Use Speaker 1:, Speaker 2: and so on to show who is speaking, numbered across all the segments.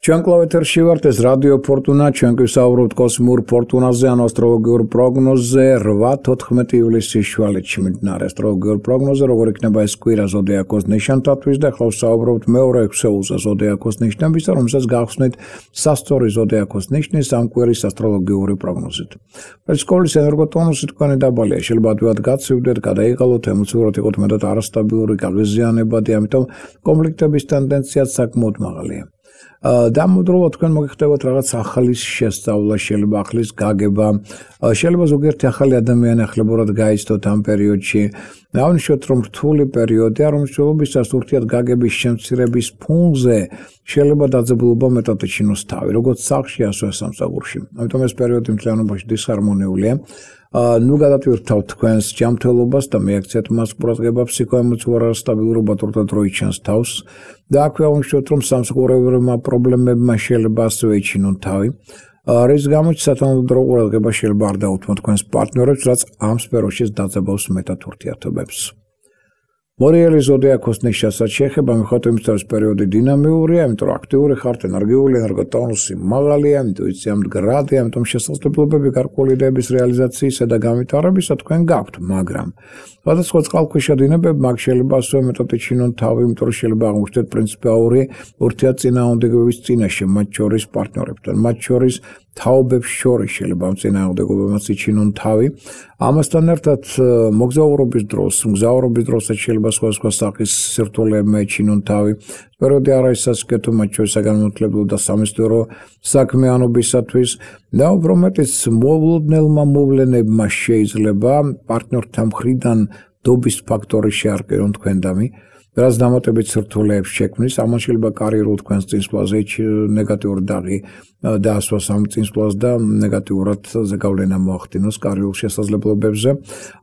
Speaker 1: ჩვენ კლავეთერში ვართ, ეს რადიო ფორტუნა, ჩვენ გვისაუბრობთ კოსმურ ფორტუნაზე, ან ასტროლოგიურ პროგნოზზე 8-14 ივლისის შუალედში მიმდინარე ასტროლოგიურ პროგნოზზე, როგორ იქნება ეს კვირა ზოდიაქოს ნიშნთათვის და ახლა ვსაუბრობთ მეორე ექვსეულზე ზოდიაქოს ნიშნებისა, რომელსაც გავხსნით სასწორი ზოდიაქოს ნიშნის ამ კვირის ასტროლოგიური პროგნოზით. სკოლის ენერგოტონუსი თქვენი დაბალია, შეიძლება ადვილად გაცივდეთ, გადაიღალოთ, ემოციურად იყოთ მეტად არასტაბილური, გაღიზიანებადი, ამიტომ კონფლიქტების ტენდენციაც საკმაოდ მაღალია. დამუდროულად თქვენ მოგიხდებათ რაღაც ახალის შესწავლა, შეიძლება ახლის გაგება, შეიძლება ზოგიერთი ახალი ადამიანი ახლებურად გაიცნოთ ამ პერიოდში. დავნიშნოთ, რომ რთული პერიოდია, რომ მსვლელობისას ურთიერთ გაგების შემცირების ფონზე შეიძლება დაძაბულობა მეტად ეჩინოს თავი, როგორც სახლში, ასევე სამსახურში. ამიტომ ეს პერიოდი მთლიანობაში დისჰარმონიულია. ნუ გადატვირთავთ თქვენს ჯანმრთელობას და მიაქციეთ მას ყურადღება, ფსიქოემოციურ არასტაბილურობა თორდა დრო იჩენს თავს და აქვე აღნიშნოთ, რომ სამსახურებრივმა პრობლემებმა შეიძლება ასევე ეჩინონ თავი, რის გამოც სათანადო ყურადღება შეიძლება არ დაუთმოთ თქვენს პარტნიორებს, რაც ამ სფეროშიც დაძაბავს მეტად ურთიერთობებს. მორიელი ზოდიაქოს ნიშნასაც შეეხება, მიხვდეთ იმის, რომ პერიოდი დინამიურია, იმიტომ რომ აქტიური ხართ, ენერგიული, ენერგოტონუსი მაღალია, ინტუიცია მდგრადია, ამიტომ შესაძლებლობები გარკვეული იდეების რეალიზაციისა და განვითარებისა თქვენ გაქვთ, მაგრამ სხვადასხვა წყალქვეშა დინებები მაგ შეიძლება ასევე მეტად ეჩინონ თავი, იმიტომ რომ შეიძლება აღმოჩნდეთ პრინციპალური ურთიერთწინააღმდეგობების წინაშე, მათ შორის პარტნიორებთან, მათ შორის თაობებს შორის შეიძლება ამ წინააღმდეგობებმაც იჩინონ თავი. ამასთან ერთად მოგზაურობის დროსაც შეიძლება სხვადასხვა სახის სირთულეებმა ეჩინონ თავი. პერიოდი არ არის სასიკეთო, მათ შორის საგანმანათლებლო და სამეცნიერო საქმიანობისათვის და უფრო მეტიც მოულოდნელმა მოვლენებმა შეიძლება პარტნიორთან მხრიდან დობის ფაქტორი შეარყიონ თქვენდამი, რაც დამატებით სირთულეებს შექმნის, ამან შეიძლება კარიერულ თქვენს წინსვლაზე ნეგატიური დაღი დაასვას ამ წინსვლას და ნეგატიურად ზეგავლენა მოახდინოს კარიერულ შესაძლებლობებზე.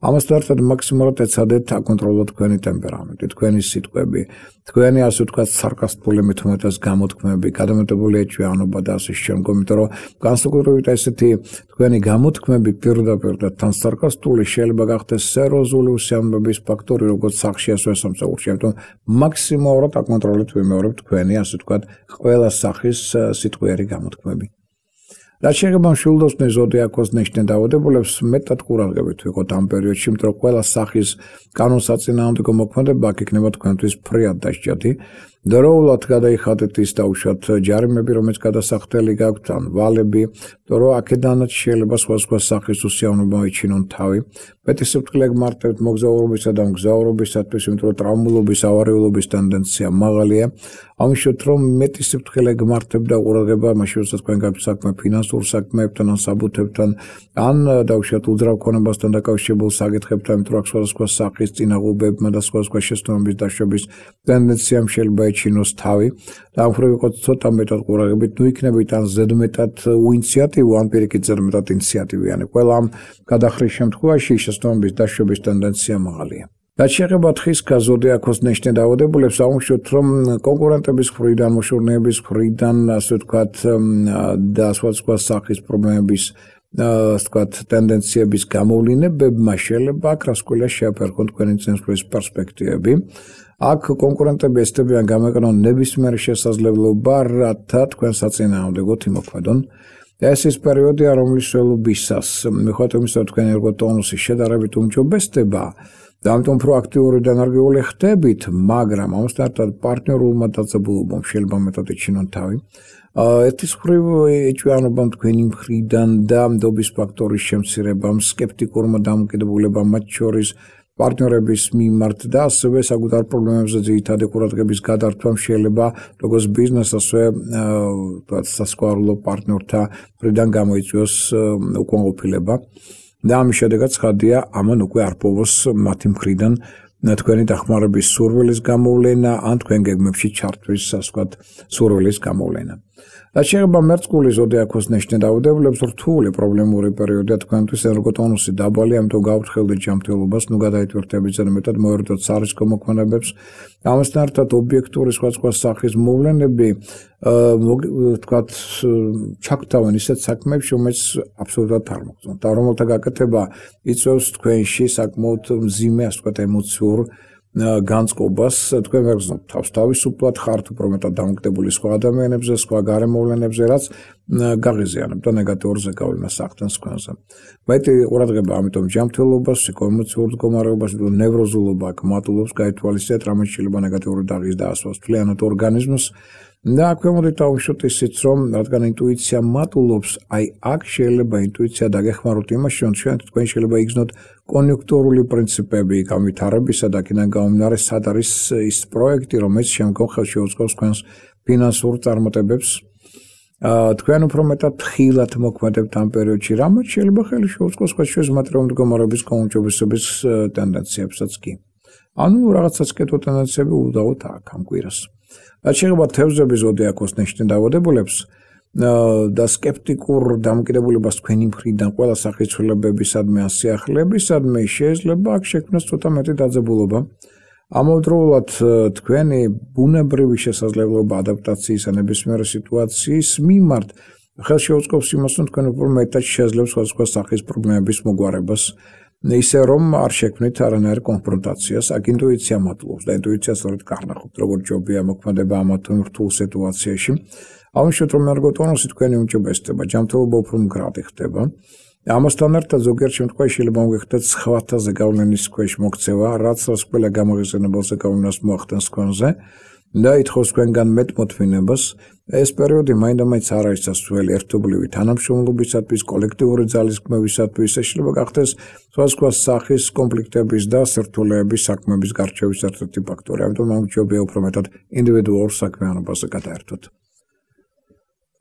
Speaker 1: ამასთან ერთად მაქსიმალურად ეცადეთ აკონტროლოთ თქვენი ტემპერამენტი, თქვენი სიტყვები, თქვენი ასე ვთქვათ სარკასტული მithumეტას გამოთქმები, გადამეტებული ეჭვიანობა და ასე შემდგომ, იმიტომ რომ განსაკუთრებით ესეთი თქვენი გამოთქმები პირდაპირ და თან სარკასტული შეიძლება გახდეს სერიოზული უსიამოვნების ფაქტორი, როგორც სახლში, ასევე სამსახურში. ამიტომ მაქსიმალურად აკონტროლეთ ვიმეორებ თქვენი ასე ვთქვათ ყველა სახის სიტყვიერი გამოთქმები. რაც შეეხება მშვილდოსნის ზოდიაქოს ნიშნის დაავადებულებს, მეტად ყურადღებით ვიყოთ ამ პერიოდში, იმიტომ რომ ყველა სახის კანონსაწინააღმდეგო მოქმედება აქ იქნება თქვენთვის ფრიად დასჯადი. დროულად გადაიხადეთ ის დაუშვათ ჯარიმები, რომელიც გადასახდელი გაქვთ, ან ვალები, რომ აქედანაც შეიძლება სხვადასხვა სახის უსიამოვნება ეჩინონ თავი. მეტი სიფრთხილე გმართებთ მოგზაურობისა და მგზავრობისათვის, იმიტომ რომ ტრავმულობის, ავარიულობის ტენდენცია მაღალია. აღნიშნოთ, რომ მეტი სიფრთხილე გმართებთ და ყურადღება მაშინ, როდესაც თქვენ გაქვთ საქმე ფინანსურ საქმეებთან, ან საბუთებთან, ან დაუშვათ უძრავქონებასთან დაკავშირებულ საკითხებთან, იმიტომ რომ სხვადასხვა სახის წინაღობებმა და სხვადასხვა შეცდომების დაშვების ტენდენციამ შეიძლება ეჩინოს თავი. და ამ მხრივ ვიყოთ ცოტა მეტად ყურადღებით, ნუ იქნებით ან ზედმეტად უინიციატივო, ან პირიქით ზედმეტად ინიციატივიანი. ყველა ამ გადახრის შემთხვევაში შეცდომების დაშვების ტენდენცია მაღალია. რაც შეეხება თხის ზოდიაქოს ნიშნის დაავადებულებს, აღნიშნოთ, რომ კონკურენტების მხრიდან, მოშორნეების მხრიდან, ასე ვთქვათ, და სხვადასხვა სახის პრობლემების ვთქვათ, ტენდენციების გამოვლინებებმა შეიძლება აქ რასკვლელა შეაფერხონ თქვენი წინსვლის პერსპექტივები. აქ კონკურენტები ესწრებიან გამოიყენონ ნებისმიერი შესაძლებლობა, რათა თქვენ საწინააღმდეგოდ იმოქმედონ. ეს ის პერიოდია, რომლის მსვლელობისას მიხვდეთ იმისა, რომ თქვენი ენერგოტონუსი შედარებით უმჯობესდება და ამიტომ პროაქტიული და ენერგიული ხდებით, მაგრამ ამასთან ერთად პარტნიორულმა დაძაბულობამ შეიძლება მეტად ეჩინონ თავი. ერთის მხრივ ეჭვიანობამ თქვენი მხრიდან და ნდობის ფაქტორის შემცირებამ, სკეპტიკურმა დამოკიდებულებამ მათ შორის პარტნიორების მიმართ და ასევე საკუთარ პრობლემებზე ძირითადი ყურადღების გადართვამ შეიძლება როგორც ბიზნეს, ასევე სასქესო პარტნიორთა მხრიდან გამოიწვიოს უკმაყოფილება და ამის შედეგად ცხადია, ამან უკვე არ პოვოს მათი მხრიდან თქვენი დახმარების სურვილის გამოვლენა, ან თქვენ გეგმებში ჩართვის, ასე ვთქვათ, სურვილის გამოვლენა. რაც შეეხება მერწყული ზოდიაქოს ნიშნის დაავადებულებს, რთული პრობლემური პერიოდია თქვენთვის, ენერგოტონუსი დაბალი, ამიტომ გავუთხელდეთ ჯანმრთელობას, ნუ გადაიტვირთებით ზედმეტად, მოერიდოთ სარისკო მოქმედებებს. ამასთან ერთად ობიექტური სხვადასხვა სახის მოვლენები, ვთქვათ, ჩაგთავენ ისეთ საქმეებში, რომელიც აბსოლუტურად არ მოგწონთ და რომელთა გაკეთება იწვევს თქვენში საკმაოდ მძიმე, ასე ვთქვათ, ემოციურ განწყობას თქვენ ვერ გრძნობთ თავს თავისუფლად ხართ უფრო მეტად დამოკიდებული სხვა ადამიანებზე, სხვა გარემოვლენებზე, რაც გაღიზიანებთ და ნეგატიურზე გავლენას ახდენს თქვენზე. მეტი ყურადღება ამიტომ ჯანმრთელობას, ემოციურ მდგომარეობას, ნევროზულობა აქ მატულობს, გაითვალისწინეთ, რამე შეიძლება ნეგატიური დაღის დაასვას მთლიანად ორგანიზმს. და აქვე მოდით დავუშვათ ისიც, რომ რადგან ინტუიცია მატულობს, აი აქ შეიძლება ინტუიცია დაგეხმაროთ იმაში, რომ თქვენ შეიძლება იგრძნოთ კონიუნქტურული პრინციპები განვითარებისა და აქედან გამომდინარე, სად არის ის პროექტი, რომელიც შემდგომ ხელს შეუწყობს თქვენს ფინანსურ წარმატებებს. თქვენ უფრო მეტად ხილად მოქმედებთ ამ პერიოდში, რამაც შეიძლება ხელი შეუწყოს სხვადასხვა მატერიალური მდგომარეობის გაუმჯობესების ტენდენციებსაც კი. ანუ რაღაცა სკეთო ტენდენციები უდავოდ აქ ამ კვირას. რაც შეეხება თევზების ზოდიაქოს ნიშნის დაავადებულებს და სკეპტიკურ დამოკიდებულებას თქვენი მხრიდან ყველა სახის ცვლილებებისადმი ან სიახლეებისადმი შეიძლება აქ შექმნას ცოტა მეტი დაძაბულობა. ამავდროულად თქვენი ბუნებრივი შესაძლებლობა ადაპტაციის ან ნებისმიერი სიტუაციის მიმართ ხელს შეუწყობს იმას, რომ თქვენ უფრო მეტად შეძლებს სხვადასხვა სახის პრობლემების მოგვარებას. ისე რომ არ შექმნით არანაირ კონფრონტაციას, აქ ინტუიცია მატულობს და ინტუიცია სწორედ კარნახობთ, როგორ ჯობია მოქმედება ამ რთულ სიტუაციაში. ამიტომ რომ ერგოტონუსი თქვენი უმჯობესდება, ჯანმრთელობა უფრო მდგრადი ხდება. ამასთან ერთად ზოგიერთ შემთხვევაში შეიძლება მოგეხდეთ სხვათაზე გავლენის ქვეშ მოქცევა, რაც ყველა გამაღიზიანებელზე გავლენას მოახდენს თქვენზე და ითხოვს თქვენგან მეტმოთმინებას. ეს პერიოდი მაინდა-მაინც არ არის სასურველი ერთობლივი თანამშრომლობისათვის, კოლექტიური ძალისხმევისათვის, შეიძლება გახდეს სხვადასხვა სახის კონფლიქტების და სირთულეების საქმეების გარჩევის ერთ-ერთი ფაქტორი. ამიტომ ამჯობია უფრო მეტად ინდივიდუალურ საქმიანობაზე გადაერთოთ.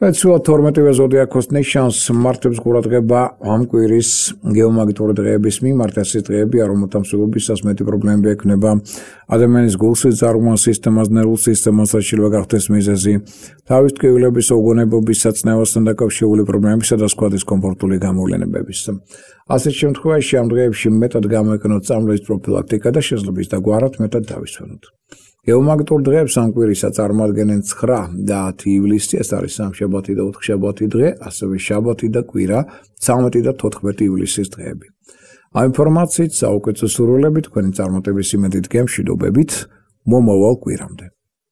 Speaker 1: Ეცულა 12-ვე ზოდიაქოს ნიშანს მართებს ყურადღება ამ კვირის გეომაგნიტური დღეების მიმართ. ეს დღეებია, რომელთა მსვლელობისას მეტი პრობლემები ექნება ადამიანის გულსიძარღვან სისტემას, ნერვულ სისტემას, რაც შეიძლება გახდეს მიზეზი თავის ტკივილების, უგონებობის, საწნევასთან დაკავშირებული პრობლემებისა და სხვა დისკომფორტული გამოვლენებების. ასეთ შემთხვევაში ამ დღეებში მეტად გამოიყენოთ წამლის პროფილაქტიკა და შესაძლოა ის დაგვარად მეტად დავისვენოთ. გეომაგნიტურ დღეებს ამ კვირისა წარმოადგენენ 9 და 10 ივლისი, ეს არის სამშაბათი და 4 შაბათი დღე, ასევე შაბათი და კვირა 13 და 14 ივლისის დღეები. ამ ინფორმაციით საუკეთესო სურვილებით თქვენი წარმატების იმედით გემშვიდობებით მომავალ კვირამდე.